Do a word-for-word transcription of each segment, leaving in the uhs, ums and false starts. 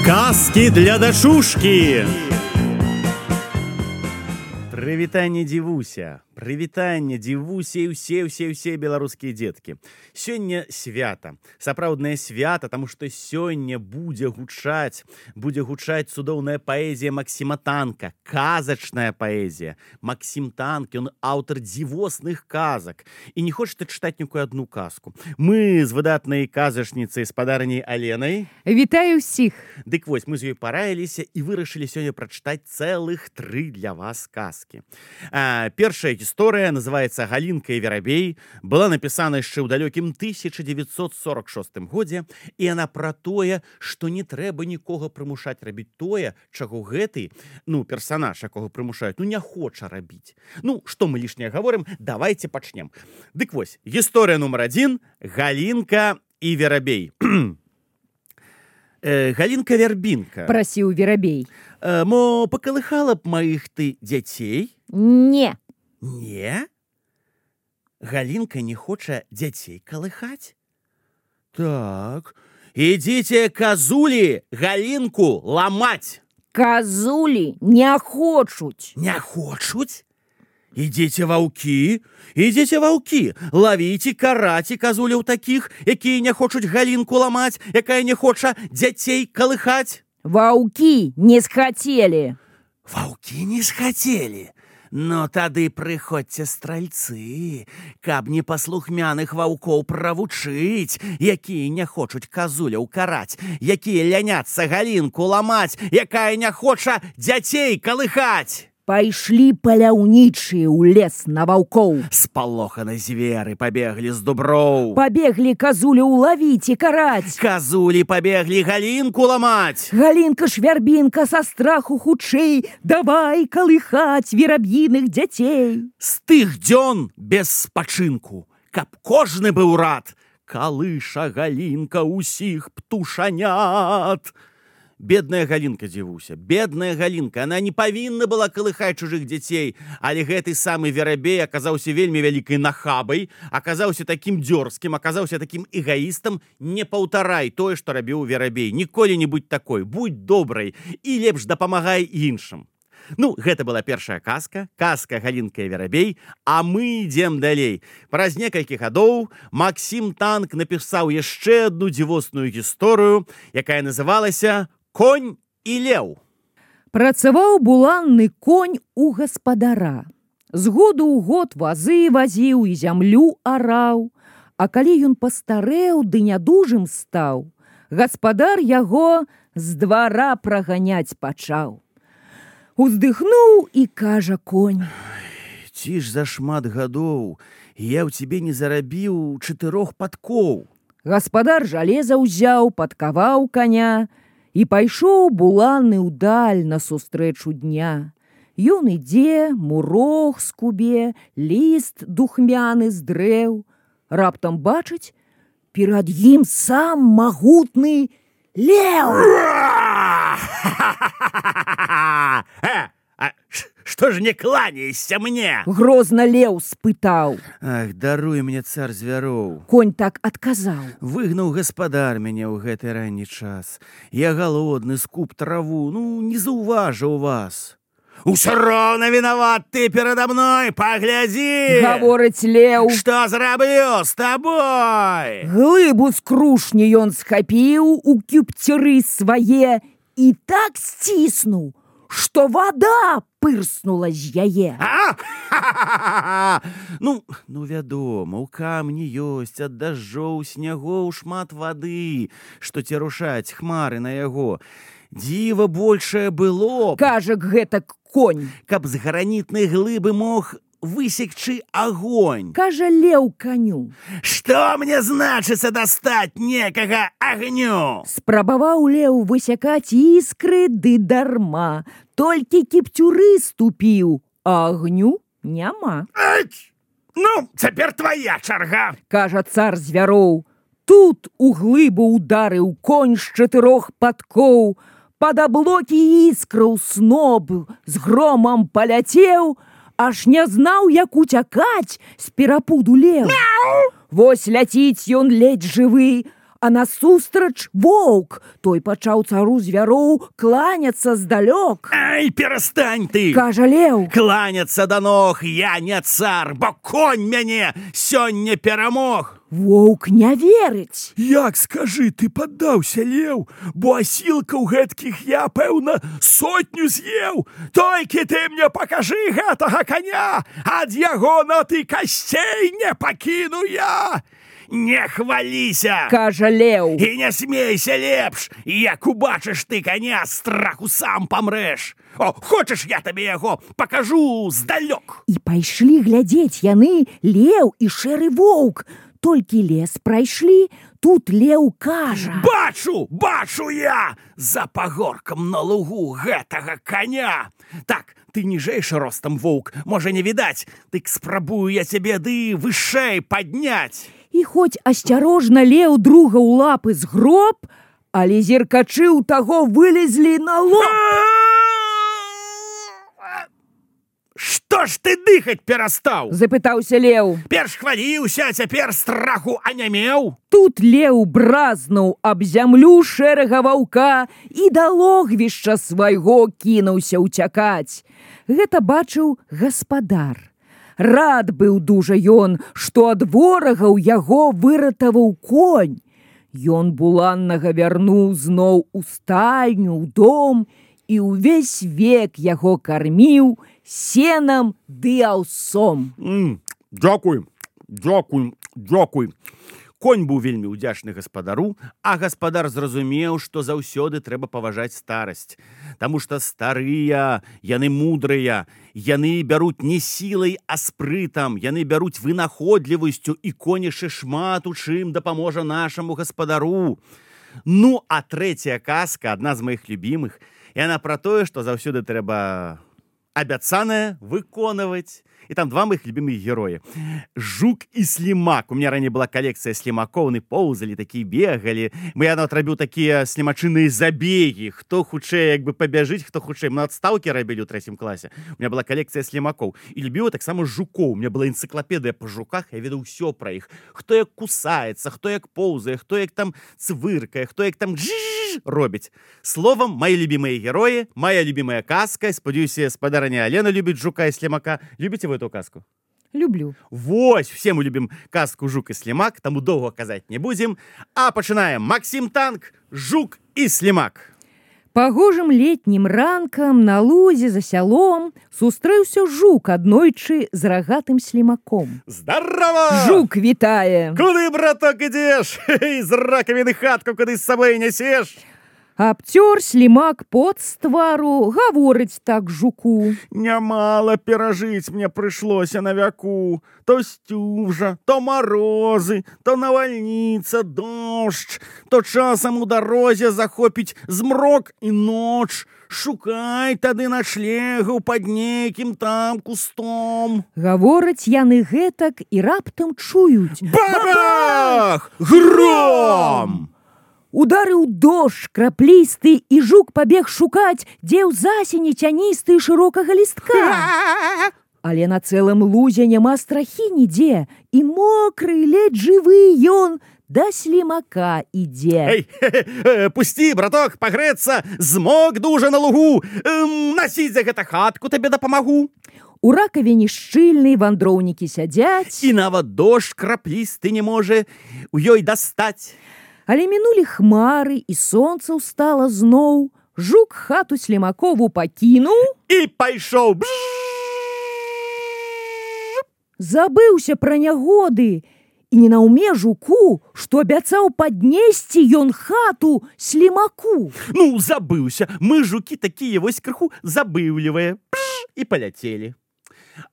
Казки для дачушкі. Прывітанне, дзівуся. Прывітанне, дзівуся і ўсе, ўсе, ўсе беларускія дзеткі. Сёння свята, сапраўднае свята, таму што сёння будзе гучаць, будзе гучаць цудоўная паэзія Максіма Танка, казачная паэзія. Максім Танк, ён аўтар дзівосных казак. І не хочаце чытаць нікую адну казку. Мы з выдатнай казачніцай, спадарняй Аленай. Вітаю ўсіх. Дык вось, мы з ёй параіліся і вырашылі сёння прачытаць цэлых тры для вас казкі. А, першая гісторыя называецца «Галінка і Верабей», была напісана яшчэ ў далёкім тысяча дзевяцьсот сорок шостым годзе, і яна пра тое, што не трэба нікога прымушаць рабіць тое, чаго гэты, ну, персанаж, якога прымушаюць, ну, не хоча рабіць. Ну, што мы лішняе гаворым, давайте пачнем. Дык вось, гісторыя нумар адзін «Галінка і Верабей». э, Галінка-Вярбінка. Прасіў Верабей. Э, мо пакалыхала б маіх ты дзяцей? Не. Не? Галінка не хоча дзяцей калыхаць? Так, ідзіце казулі Галінку ламаць. Казулі не хочуць. Не хочуць? Ідзіце ваўкі, ідзіце ваўкі, лавіце, караце казуляў такіх, якія не хочуць Галінку ламаць, якая не хоча дзяцей калыхаць. Ваўкі не схацелі. Ваўкі не схацелі. Ну, тады прыходзьце стральцы, каб непаслухмяных ваўкоў правучыць, якія не хочуць казуляў караць, якія ляняцца Галінку ламаць, якая не хоча дзяцей калыхаць. Пайшлі паляўнічыя ў лес на ваўкоў. Спалоханы зверы пабеглі з дуброў. Пабеглі казуляў лавіць і караць. Казулі пабеглі Галінку ламаць. Галінка ж Вярбінка са страху хутчэй давай калыхаць вераб'іных дзяцей. З тых дзён без спачынку, каб кожны быў рад, калыша Галінка ўсіх птушанят. Бедная Галінка, дзівуся, бедная Галінка, она не павінна была калыхаць чужых дзяцей, але гэты самы Верабей аказаўся вельмі вялікай нахабай, аказаўся такім дзёрзкім, аказаўся такім эгаістам. Не паўтарай тое, што рабіў Верабей. Ніколі не будь такой, будь добрай і лепш дапамагай іншым. Ну, гэта была першая казка, казка «Галінка і Верабей», а мы ідзем далей. Праз некалькі гадоў Максім Танк напісаў яшчэ адну дзівосную гісторыю, якая называлася «Конь і леў». Працаваў буланны конь у гаспадара. З году ў год вазы вазіў і зямлю араў. А калі ён пастарэў ды нядужым стаў, гаспадар яго з двара праганяць пачаў. Уздыхнуў і кажа конь: «Ці ж за шмат гадоў я ў цябе не зарабіў чатырох падкоў». Гаспадар жалеза ўзяў, падкаваў каня, і пайшоў буланы ўдаль насустрэчу дня. Ён ідзе, мурог скубе, ліст духмяны з дрэў. Раптам бачыць, перад ім сам магутны леў. Што ж не кланяешься мне? Грозна леў спытаў. Ах, даруй мне, цар звяроў. Конь так адказаў: выгнаў гаспадар мяне ў гэты ранні час. Я галодны, скуп траву, ну, не заўважыў вас. Усё роўна вінават ты перада мной, паглядзі! Гаворыць леў. Што зраблю з табой? Глыбу з крушні ён схапіў у кюпцеры свае і так сціснуў, што вада пырснула з яе. А? Ну, ну, вядома, у камні ёсць ад дажджоў, снягоў шмат вады, што цярушаць хмары на яго. Дзіва большае было б, кажа гэтак конь, каб з гранітнай глыбы мог высекчы агонь. Кажа леў каню: што мне значыцца дастаць некага агню? Спрабаваў леў высякаць іскры ды дарма. Толькі кіпцюры ступіў, а агню няма. Ать! Ну, цяпер твая чарга, кажа цар звяроў. Тут у глыбу ударыў конь з чатырох падкоў. Пад аблокі іскраў сноб з громам паляцеў, аж не знаў, як уцякаць з перапуду леў. Вось ляціць ён ледзь жывы, а насустрач воўк. Той пачаў цару звяроў кланяцца здалёк. Ай, перастань ты! Кажа леў. Кланяцца да ног я не цар, бо конь мяне сёння перамог. Воўк не верыць. Як, скажы, ты паддаўся, леў, бо асілкаў гэткіх я, пэўна, сотню з'еў. Толькі ты мне пакажы гэтага коня, ад яго на ты касцей не пакіну я. Не хваліся, кажа леў. І не смейся лепш, як убачыш ты коня, страху сам памрэш. О, хочаш, я табе яго пакажу здалёк. І пайшлі глядзець яны леў і шэры воўк. Толькі лес прайшлі, тут леў кажа: Бачу, бачу я за пагоркам на лугу гэтага коня. Так, ты ніжэйшы ростам, воўк, можа не відаць, дык спрабую я цябе ды вышэй падняць. І хоць асцярожна леў друга ў лапы згроб, але зеркачы ў таго вылезлі на лоб. Што ж ты дыхаць перастаў? Запытаўся леў. Перш хваліўся, а цяпер страху анямеў. Тут леў бразнуў аб зямлю шэрага ваўка і да логвішча свайго кінуўся ўцякаць. Гэта бачыў гаспадар. Рад быў дужа ён, што ад ворагаў яго выратаваў конь. Ён буланнага вярнуў зноў у стайню, ў дом, і ўвесь век яго карміў сенам ды аўсом. Mm, дзякуй, дзякуй, дзякуй. Конь быў вельмі ўдзячны гаспадару, а гаспадар зразумеў, што заўсёды трэба паважаць старасць. Таму што старыя, яны мудрыя, яны бяруць не сілай, а спрытам, яны бяруць вынаходлівасцю, і конь яшчэ шмат у чым дапаможа нашаму гаспадару. Ну, а трэцяя казка, адна з маіх любімых, яна пра тое, што заўсёды трэба абяцанае выконваць. І там два моих любимых героя. Жук і слімак. У меня раней была калекцыя слімакоў, они поўзалі, такія бегалі. Мы я отрабіў такія слімачыныя забеги. Хто хутчэй як бы пабяжыць, хто хутчэй. Мы адстаўкі рабілі ў трэцім класе. У меня была калекцыя слімакоў. І любіў таксама жукоў. У меня была энцыклапедыя па жуках, я ведаў усё пра іх. Хто як кусаецца, хто як поўзае, хто як там цвыркае, хто як там жжж робіць. Словом, мои любимые герои, моя любимая казка. Спадзяюся, спадарыня Алена любіць жука і слімака. Любіце вы эту казку? Люблю. Вось, все мы любим казку «Жук и слимак», тому долго казать не будем. А пачинаем. Максим Танк, «Жук и слимак». Пагожым летнім ранкам на лузе за сялом сустрэўся жук аднойчы з рагатым слімаком. Здорово! Жук вітае. Куды, браток, ідзеш? З ракавіны хатку куды з сабой нясеш? Абцёр слімак пот з твару, гаворыць так жуку. Нямала перажыць мне прыйшлося на вяку. То сцюжа, то марозы, то навальніца, дождж, то часам у дарозе захопіць змрок і ноч. Шукай тады начлегаў пад нейкім там кустом. Гавораць яны гэтак і раптам чуюць. Бабах! Гром! Ударыў дождж краплісты, і жук пабег шукаць, дзе ў засені цяністы і шырокага лістка. Але на цэлым лузе няма страхі нідзе, і мокры, ледзь жывы ён да слімака ідзе. Эй, пусці, браток, пагрэцца, змок дужа на лугу. Эм, насіць за гэта хатку табе дапамагу. У ракавіне шчыльнай вандроўнікі сядзяць. І нават дождж краплісты не можа у ёй дастаць. Але мінулі хмары, і сонца ўстала зноў. Жук хату слімакову пакінуў і пайшоў. Забыўся пра нягоды. І не наўме жуку, што абяцаў паднесці ён хату слімаку. Ну, забыўся. Мы, жукі, такія вось крыху забыўлівыя. І паляцелі.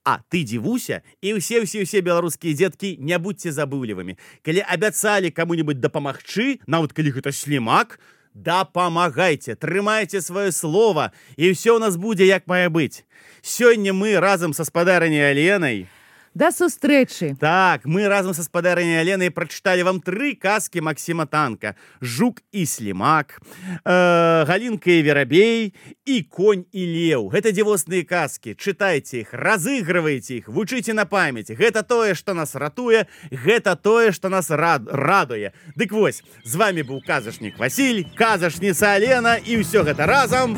А ты дзівуся, і ўсе-ўсе-ўсе беларускія дзеткі, не будьце забыўлівымі. Калі абяцалі каму-небудзь дапамагчы, нават калі гэта слімак, дапамагайце, трымайце сваё слова, і ўсё ў нас будзе як мае быць. Сёння мы разам са спадарыняй Аленай Да сустрэчы. Так, мы разом са спадарыняй Аленай прачыталі вам тры казкі Максіма Танка: Жук і слімак, э, Галінка і верабей і конь і леў. Гэта дзівосныя казкі. Чытайце іх, разыгрывайце іх, вучыце на памяць. Гэта тое, што нас ратуе, гэта тое, што нас рад, радуе. Дык вось, з вами быў казачнік Васіль, казачніца Алена, і ўсё гэта разам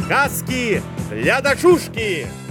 казкі для дачушкі.